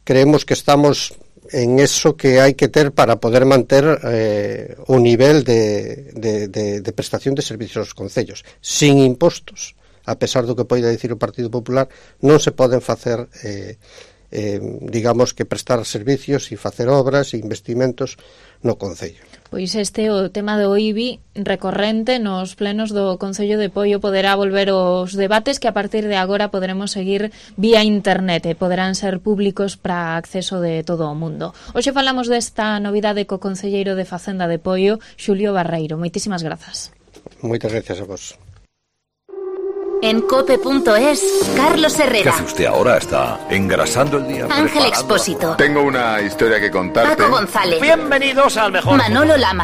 Creemos que estamos en eso que hai que ter para poder manter o nivel de prestación de servicios aos concellos. Sin impostos, a pesar do que poida dicir o Partido Popular, non se poden facer digamos que prestar servicios e facer obras e investimentos no Concello. Pois este o tema do IBI recorrente nos plenos do Concello de Poio poderá volver os debates que a partir de agora poderemos seguir vía internet e poderán ser públicos para acceso de todo o mundo. Hoxe falamos desta novidade co concelleiro de Facenda de Poio, Xulio Barreiro. Moitísimas grazas. Moitas gracias a vos. En cope.es, Carlos Herrera. ¿Qué hace usted ahora? ¿Está engrasando el día? Ángel Expósito. Tengo una historia que contarte. Paco González. Bienvenidos al mejor. Manolo Lama.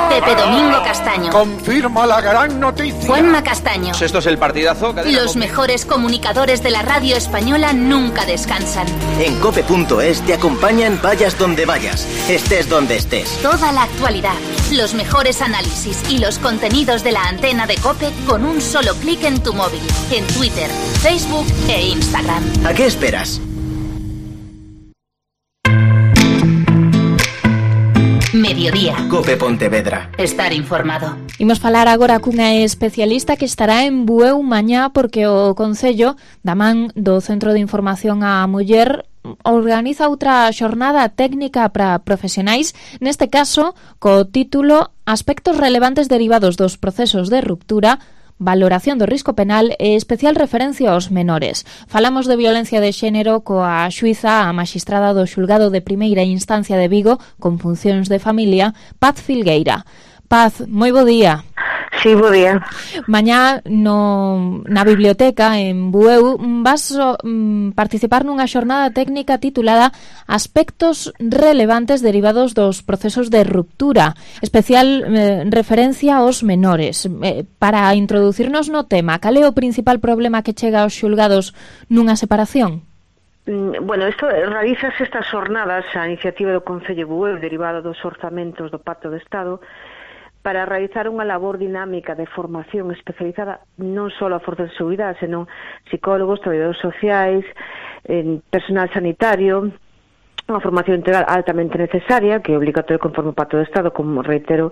Pepe Domingo Castaño. Confirma la gran noticia. Juanma Castaño. Esto es el partidazo. Los mejores comunicadores de la radio española nunca descansan. En cope.es te acompañan vayas donde vayas, estés donde estés. Toda la actualidad, los mejores análisis y los contenidos de la antena de Cope con un solo clic en tu móvil. En Twitter, Facebook e Instagram. ¿A qué esperas? Mediodía. Cope Pontevedra. Estar informado. Imos falar agora cunha especialista que estará en Bueu mañá porque o Concello, da man do Centro de Información á Muller, organiza outra xornada técnica para profesionais, neste caso co título Aspectos relevantes derivados dos procesos de ruptura, valoración do risco penal e especial referencia aos menores. Falamos de violencia de xénero coa xuíza a maxistrada do xulgado de primeira instancia de Vigo con funcións de familia, Paz Filgueira. Paz, moi bo día. Sí, bo día. Mañá na biblioteca en Bueu vas participar nunha xornada técnica titulada Aspectos relevantes derivados dos procesos de ruptura, especial referencia aos menores. Para introducirnos no tema, cal é o principal problema que chega aos xulgados nunha separación? Bueno, isto realizase estas xornadas a iniciativa do Concello de Bueu derivada dos orzamentos do Pacto de Estado para realizar unha labor dinámica de formación especializada non só a forzas de seguridade, senón psicólogos, traballadores sociais, personal sanitario, unha formación integral altamente necesaria, que é obligatoria conforme o Pacto de Estado, como reitero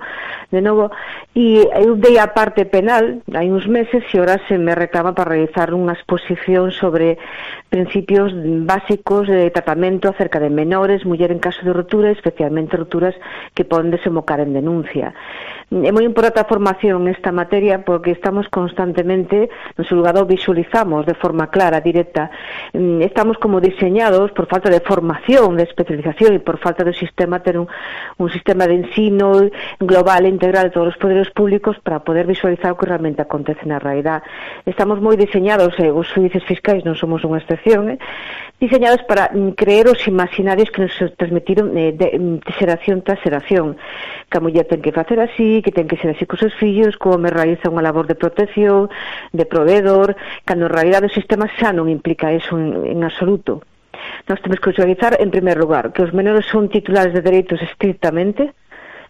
de novo, e eu dei a parte penal hai uns meses e ahora se me reclama para realizar unha exposición sobre principios básicos de tratamento acerca de menores, muller en caso de ruptura, especialmente rupturas que poden desembocar en denuncia. É moi importante a formación nesta materia porque estamos constantemente no xulgado visualizamos de forma clara, directa. Estamos como diseñados por falta de formación, de especialización e por falta de sistema ter un sistema de ensino global e integral de todos os poderes públicos para poder visualizar o que realmente acontece na realidade. Estamos moi diseñados, os xuíces fiscais non somos unha excepción, diseñados para creer os imaginarios que nos transmitiron de xeración tras xeración, que a muller ten que facer así, que ten que ser así cos seus fillos, como me realiza unha labor de protección, de proveedor, cando en realidade o sistema xa non implica eso en absoluto. Nós temos que visualizar, en primer lugar, que os menores son titulares de dereitos estrictamente,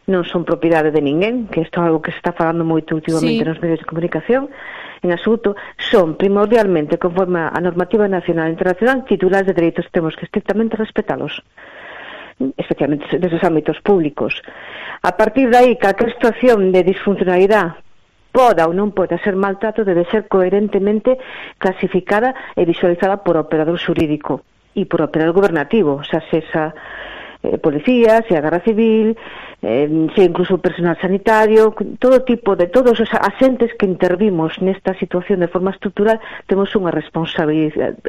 non son propiedade de ninguén, que isto é algo que se está falando moito últimamente nos medios de comunicación, en absoluto, son primordialmente, conforme a normativa nacional e internacional, titulares de dereitos, temos que estrictamente respetalos, especialmente neses ámbitos públicos. A partir de aí, calquer situación de disfuncionalidade poda ou non poda ser maltrato debe ser coherentemente clasificada e visualizada por operador xurídico e por operador gubernativo, xa sexa policía, sea Garda Civil, sea incluso personal sanitario, todo tipo de todos os asentes que intervimos nesta situación de forma estructural, temos unha responsabilidade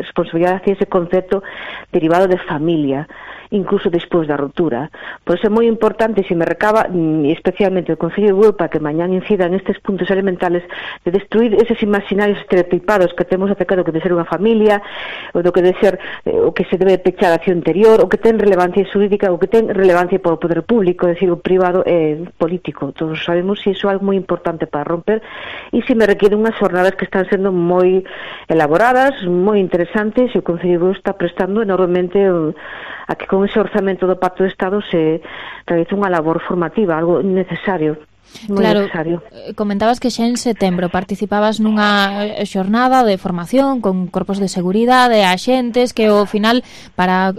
hacia ese concepto derivado de familia, incluso despois da ruptura. Por iso é moi importante, se me recaba, especialmente o Concello de Bueu, para que mañán incida nestes puntos elementales de destruir eses imaginarios estereotipados que temos acerca do que debe ser unha familia, ou do que debe ser o que se debe pechar a acción interior, o que ten relevancia xurídica, o que ten relevancia para o poder público, é dicir, o privado e político. Todos sabemos que iso é algo moi importante para romper e se me requiere unhas jornadas que están sendo moi elaboradas, moi interesantes, e o Concello de Bueu está prestando enormemente a que con ese orzamento do Pacto de Estado se realiza unha labor formativa, algo necesario Claro, comentabas que xa en setembro participabas nunha xornada de formación con corpos de seguridade, axentes, que ao final para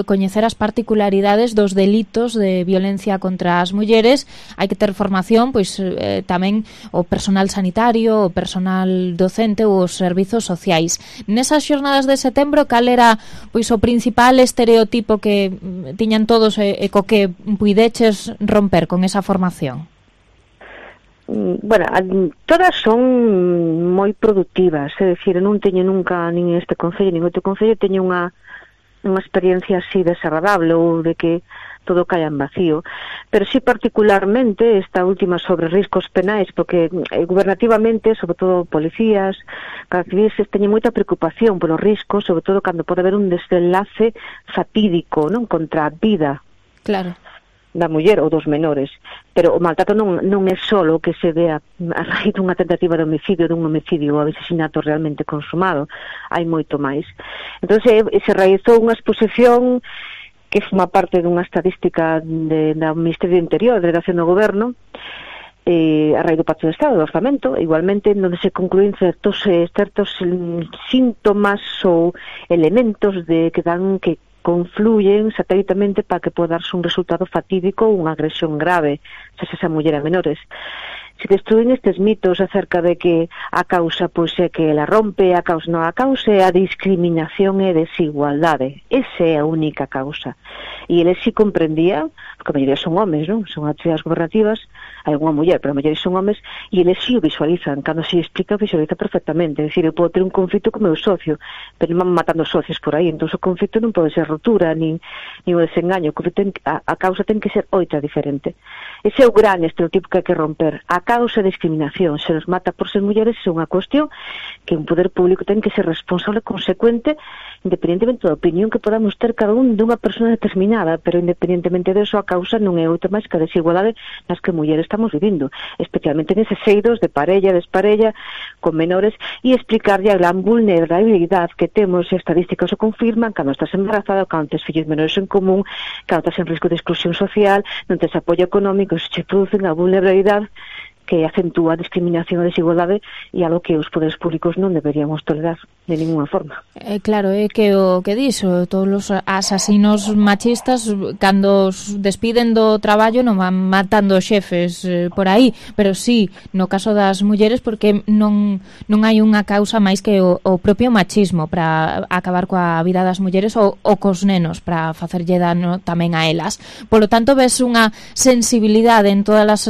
coñecer as particularidades dos delitos de violencia contra as mulleres hai que ter formación, pois tamén o personal sanitario, o personal docente ou os servizos sociais. Nesas xornadas de setembro, cal era pois o principal estereotipo que tiñan todos e co que puideches romper con esa formación? Bueno, todas son moi productivas, é dicir, non teño nunca nin este concello nin outro concello teño unha experiencia así desagradable ou de que todo caia en vacío, pero sí particularmente esta última sobre riscos penais, porque gubernativamente, sobre todo policías, cada civis teñen moita preocupación polos riscos, sobre todo cando pode haber un desenlace fatídico, non, contra a vida. Claro. Da muller ou dos menores, pero o maltrato non é só o que se ve a raíz dunha tentativa de homicidio, dun homicidio ou asesinato realmente consumado, hai moito máis. Entón se realizou unha exposición que forma parte dunha estadística do Ministerio do Interior, da Delegación do Goberno, a raíz do Pacto de Estado, do Orzamento, igualmente onde se concluín certos síntomas ou elementos que confluyen satélitamente para que poda darse un resultado fatídico ou unha agresión grave, se esa muller a menores. Se destruen estes mitos acerca de que a causa pois é que ela rompe, a causa non, a causa é a discriminación e desigualdade. Esa é a única causa. E eles si comprendían, porque a maioría son homes, non? Son actividades gobernativas, hai unha muller, pero a maioría son homes, e eles si o visualizan. Cando se explica, visualiza perfectamente. É dicir, eu podo ter un conflito co meu socio, pero non van matando socios por aí. Entón, o conflito non pode ser rotura, nin o desengaño. A causa ten que ser outra diferente. Ese é o gran estereotipo que hai que romper. A causa de discriminación, se nos mata por ser mulleres, é unha cuestión que un poder público ten que ser responsable e consecuente, independentemente da opinión que podamos ter cada un dunha persona determinada, pero independentemente disso, a causa non é outra máis que a desigualdade nas que mulleres estamos vivindo, especialmente neses seidos de parella, desparella, con menores, e explicarlle a gran vulnerabilidade que temos, e as estadísticas o confirman, cando estás embarazada, cando tes fillos menores en común, cando estás en risco de exclusión social, non tes apoio económico, se che producen a vulnerabilidade que acentúa a discriminación e a desigualdade e algo que os poderes públicos non deberíamos tolerar de ninguna forma. Claro, é que o que dixo, todos os asasinos machistas cando os despiden do traballo non van matando xefes por aí, pero sí, no caso das mulleres, porque non hai unha causa máis que o propio machismo para acabar coa vida das mulleres ou cos nenos, para facerlle dano tamén a elas. Por lo tanto, ves unha sensibilidade en todas as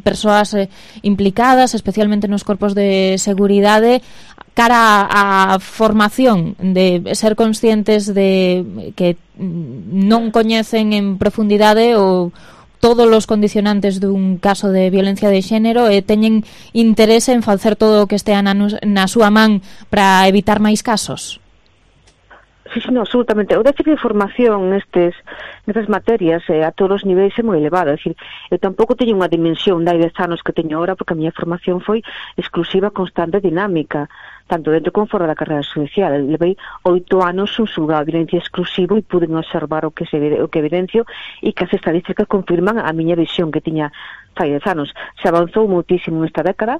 persoas implicadas, especialmente nos corpos de seguridade, cara a formación de ser conscientes de que non coñecen en profundidade ou todos os condicionantes dun caso de violencia de xénero e teñen interese en facer todo o que estea na súa man para evitar máis casos? Sí, no, absolutamente. O déficit de formación nestas materias a todos os niveis é moi elevado. É dicir, eu tampouco teño unha dimensión de 10 anos que teño ahora, porque a miña formación foi exclusiva, constante e dinámica, tanto dentro como fora da carreira xudicial. Levei 8 anos un xulgado de violencia exclusivo e pude observar o que evidencio e que as estadísticas confirman a miña visión que tiña fai 10 anos. Se avanzou muitísimo nesta década.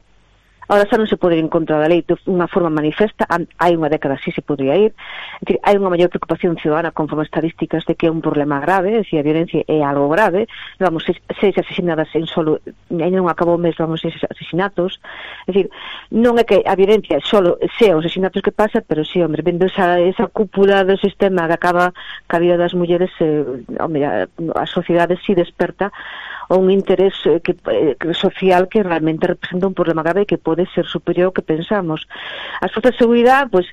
Ahora xa non se pode ir en contra da lei de unha forma manifesta, hai unha década sí se podría ir. É dicir, hai unha maior preocupación ciudadana conforme estadísticas de que é un problema grave, é dicir, a violencia é algo grave. Vamos, 6 asesinadas en solo, ainda non acabou o mes, vamos, 6 asesinatos. É dicir, non é que a violencia solo sea os asesinatos que pasa, pero sí, hombre, vendo esa cúpula do sistema que acaba ca vida das mulleres, hombre, a sociedade sí desperta un interés social que realmente representa un problema grave que pode ser superior ao que pensamos. As forzas de seguridade, pois,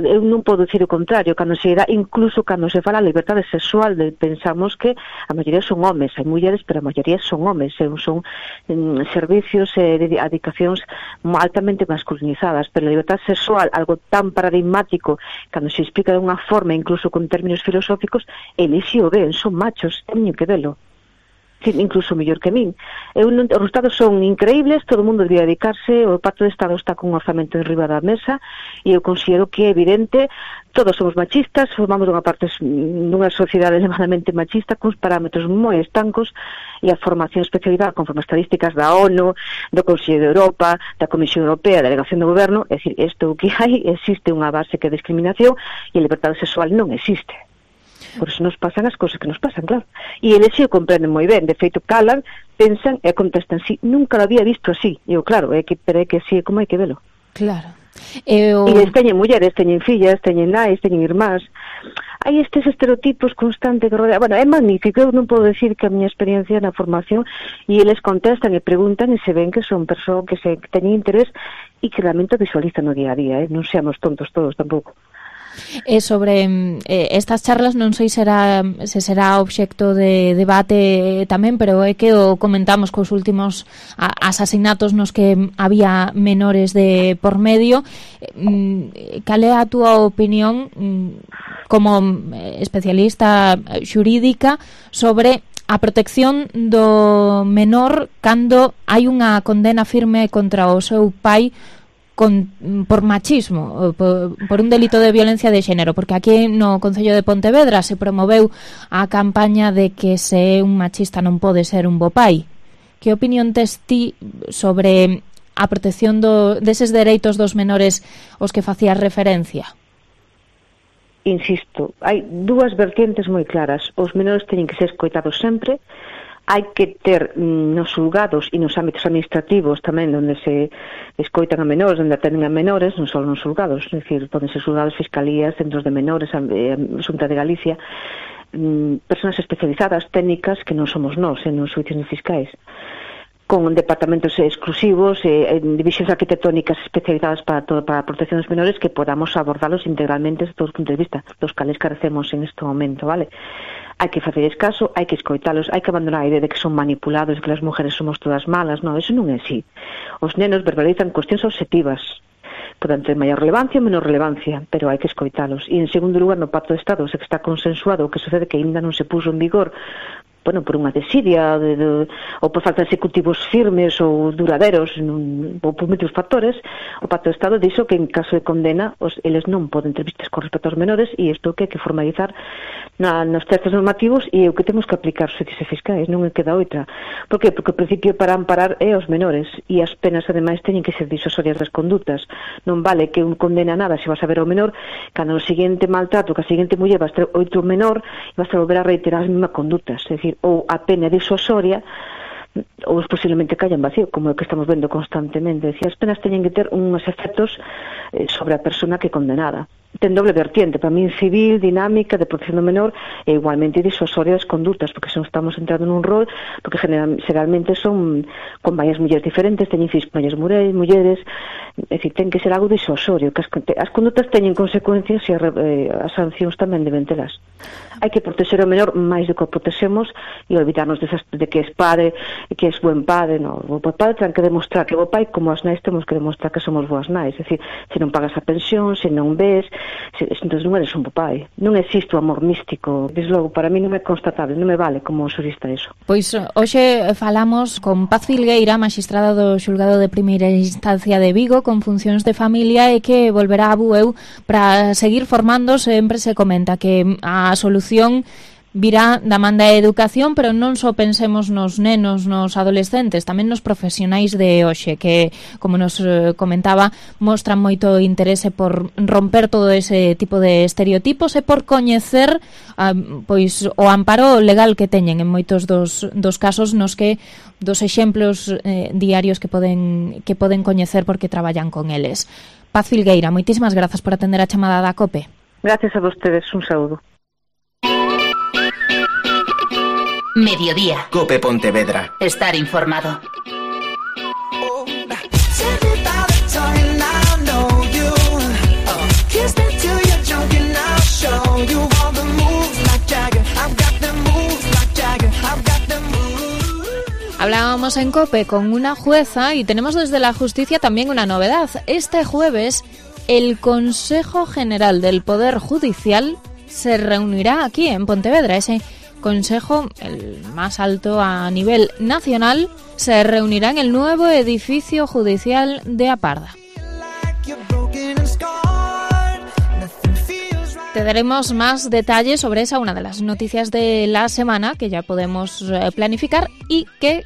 eu non podo dicir o contrario, cando se dá, incluso cando se fala a liberdade sexual, pensamos que a maioría son homes, hai mulleres, pero a maioría son homes, son servicios de dedicacións altamente masculinizadas, pero a liberdade sexual, algo tan paradigmático, cando se explica de unha forma, incluso con términos filosóficos, eles si o ven, son machos, teñen que velo. incluso mellor que min. Os resultados son increíbles, todo o mundo debería dedicarse, o Pacto de Estado está con un orzamento en riba da mesa, e eu considero que é evidente, todos somos machistas, formamos dunha sociedade elevadamente machista, con parámetros moi estancos, e a formación especializada conforme estadísticas da ONU, do Consello de Europa, da Comisión Europea, da Delegación do Goberno, é dicir, isto que hai, existe unha base que é discriminación, e a liberdade sexual non existe. Por eso nos pasan as cousas que nos pasan, claro. E eles se o comprenden moi ben, de feito calan, pensan e contestan, sí, nunca lo había visto así. E eu, claro, pero é que así é como hai que velo. Claro. E eles teñen mulleres, teñen fillas, teñen nais, teñen irmás. Hai estes estereotipos constantes que rodean. Bueno, é magnífico, eu non podo decir que a miña experiencia na formación, e eles contestan e preguntan e se ven que son persoas que teñen interés e que realmente visualizan no día a día, non seamos tontos todos tampouco. E sobre estas charlas non sei se será obxecto de debate tamén, pero é que o comentamos cos últimos asasinatos nos que había menores de por medio. Cal é a túa opinión como especialista xurídica sobre a protección do menor cando hai unha condena firme contra o seu pai por machismo, por un delito de violencia de xénero, porque aquí no Concello de Pontevedra se promoveu a campaña de que se un machista non pode ser un bo pai. Que opinión tes ti sobre a protección deses dereitos dos menores aos que facías referencia? Insisto, hai dúas vertientes moi claras. Os menores teñen que ser escoitados sempre. Hai que ter nos xulgados e nos ámbitos administrativos tamén onde se escoitan a menores, onde atenden a menores, non só nos xulgados, é dicir, poden ser xulgados, fiscalías, centros de menores, Xunta de Galicia, persoas especializadas, técnicas que non somos nós, nos xuicios fiscais, con departamentos exclusivos, divisións arquitectónicas especializadas para a protección dos menores, que podamos abordarlos integralmente desde todos os puntos de vista, dos cales carecemos en este momento, vale? Hai que facerles caso, hai que escoitalos, hai que abandonar a idea de que son manipulados, que as mujeres somos todas malas, non, eso non é así. Os nenos verbalizan cuestións objetivas, poden ter maior relevancia ou menor relevancia, pero hai que escoitalos. E en segundo lugar, no Pacto de Estado, se que está consensuado, o que sucede que ainda non se puso en vigor, bueno, por unha desidia ou por falta de executivos firmes ou duraderos ou por moitos factores, o Pacto de Estado dixo que en caso de condena eles non poden ter vistas con respecto aos menores, e isto que hai que formalizar nos textos normativos, e o que temos que aplicar os xuíces fiscais, non queda outra. Por que? Porque o principio para amparar é os menores, e as penas ademais teñen que ser disuasorias das condutas. Non vale que un condena nada se vas a ver ao menor, cando o seguinte maltrato, que a seguinte muller vas ter outro menor e vas a volver a reiterar as mesmas condutas, é dicir, ou a pena disuasoria ou posiblemente callan vacío, como é que estamos vendo constantemente. Decía, as penas teñen que ter uns efectos sobre a persona que é condenada. Ten doble vertiente, para min civil, dinámica, de protección do menor, e igualmente disuasoria das condutas, porque son estamos entrando nun rol, porque generalmente son con varias mulleres diferentes, teñen fillos con varias mulleres, é dicir, ten que ser algo disuasorio, que as condutas teñen consecuencias e as sancións tamén deben telas. Hai que proteger o menor máis do que o protexemos e olvidarnos de que es padre, que es buen padre, no, o padre ten que demostrar que é bo pai, como as nais temos que demostrar que somos boas nais, é dicir, se non pagas a pensión, se non ves, entón non eres un bo pai. Non existe o amor místico, desde logo, para mí non é constatable, non me vale como xurista iso. Pois hoxe falamos con Paz Filgueira, magistrada do Xulgado de Primeira Instancia de Vigo, con funcións de familia, e que volverá a Bueu para seguir formando. Sempre se comenta que a solución virá da man da educación, pero non só pensemos nos nenos, nos adolescentes, tamén nos profesionais de hoxe, que, como nos comentaba, mostran moito interese por romper todo ese tipo de estereotipos e por coñecer pois o amparo legal que teñen en moitos dos casos nos que dos exemplos diarios que poden coñecer porque traballan con eles. Paz Filgueira, moitísimas grazas por atender a chamada da COPE. Gracias a vostedes, un saúdo. Mediodía. COPE Pontevedra. Estar informado. Hablábamos en COPE con una jueza y tenemos desde la justicia también una novedad. Este jueves el Consejo General del Poder Judicial se reunirá aquí en Pontevedra, ese Consejo, el más alto a nivel nacional, se reunirá en el nuevo edificio judicial de Aparda. Te daremos más detalles sobre esa, una de las noticias de la semana que ya podemos planificar, y que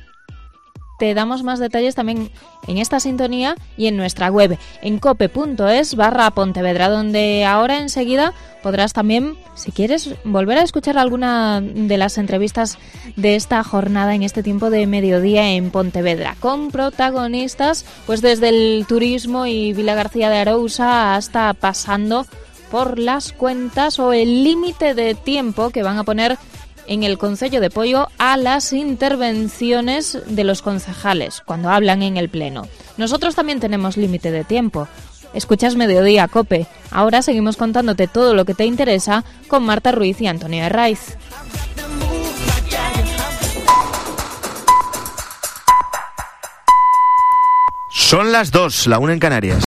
te damos más detalles también en esta sintonía y en nuestra web, en cope.es/Pontevedra, donde ahora enseguida podrás también, si quieres, volver a escuchar alguna de las entrevistas de esta jornada en este tiempo de mediodía en Pontevedra, con protagonistas pues desde el turismo y Vilagarcía de Arousa hasta pasando por las cuentas o el límite de tiempo que van a poner en el Concello de Poio a las intervenciones de los concejales cuando hablan en el Pleno. Nosotros también tenemos límite de tiempo. Escuchas Mediodía Cope. Ahora seguimos contándote todo lo que te interesa con Marta Ruiz y Antonio Herraiz. Son las 2, la 1 en Canarias.